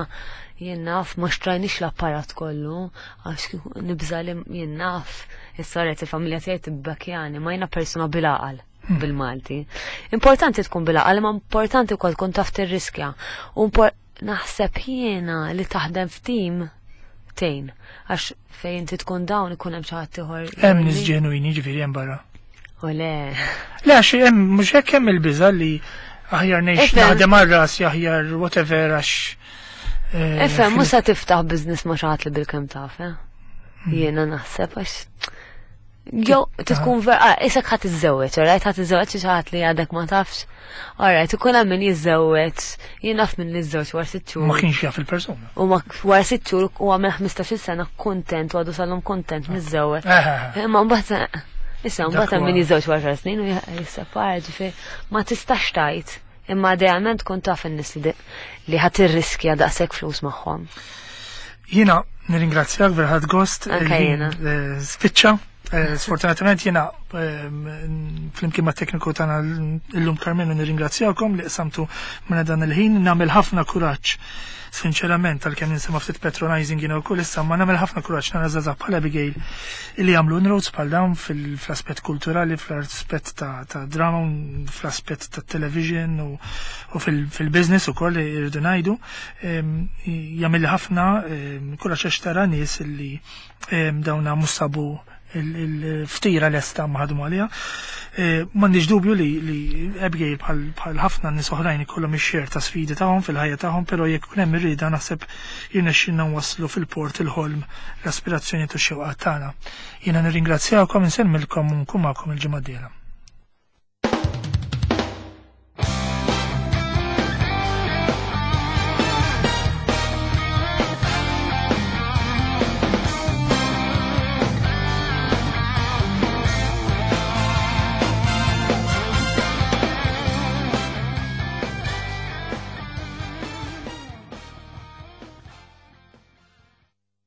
jien naf ma xtrajnix l-apparat kollu, għax kieku nibża li jien naf is-soret il-familja tiegħi tibbakjani, ma jiena persuna bil-għaqal bil-Malti. Importanti tkun bil-għaqal, ma importanti wkoll tkun taf tirriskja. U naħseb jiena li taħdem f'tim tejn, għax fejn inti tkun dawn ikun hemm xi ħadd ieħor. Hemm nies ġenwini ġifieri hemm barra. U le. Le, għax hemm mhux hekk hemm il-biża' li aħjar ngħix naħdem għal rasi aħjar whatever għax Ifhem, mhux se tiftaħ business ma' xi ħadd li bil-kemm taf, eh? Jiena naħseb għax jew tkun ver, isek ħadd iżżewweġ, alright, ħadd iżżewweġ xi ħadd li għadek ma tafx. Alright, ikun hemm min jiżżewweġ, jien naf min jiżżewweġ wara 6 xhur. Ma kienx jaf il-persuna. U ma wara 6 xhur u għamel 15-il sena kuntent u għadu sal-lum kuntent miżżewweġ. Imma mbagħad issa mbagħad hemm min jiżżewweġ wara 10 snin u jissepara, ġifieri ma tistax tgħid. Imma idealment tkun taf in-nies li ħadd irriskja daqshekk flus magħhom. Jiena nirringrazzjak vera ħadt gost. Anke Il-ħin, jiena. spiċċa. Sfortunatament jiena flimkien ma' tekniku tagħna illum Carmelo nirringrazzjakom li qsamtu minn dan il-ħin, nagħmel ħafna kuraġġ. Sinċerament, għalkemm ninsema ftit patronizing jiena wkoll issa, ma nagħmel ħafna kuraġġ nara żgħażagħ bħal Abigail li jagħmlu inroads bħal dawn fl-aspett kulturali, fl-aspett ta' drama, fl-aspett ta' television u fil-business ukoll li rridu ngħidu. Jagħmel ħafna kuraġġ għax tara nies li dawna mhux sabu il-ftira lesta ma ħadmu għaliha. M'għandix dubju li Abigail bħal ħafna nies oħrajn ikollhom ix-xer ta' sfidi tagħhom fil-ħajja tagħhom, però jekk ikun hemm irrieda naħseb jirnexxilna nwasslu fil-port il-ħolm l-aspirazzjoni u x-xewqat tagħna. Jiena nirringrazzjawkom, insellmilkom u nkun magħkom il-ġimgħa d-dieħla.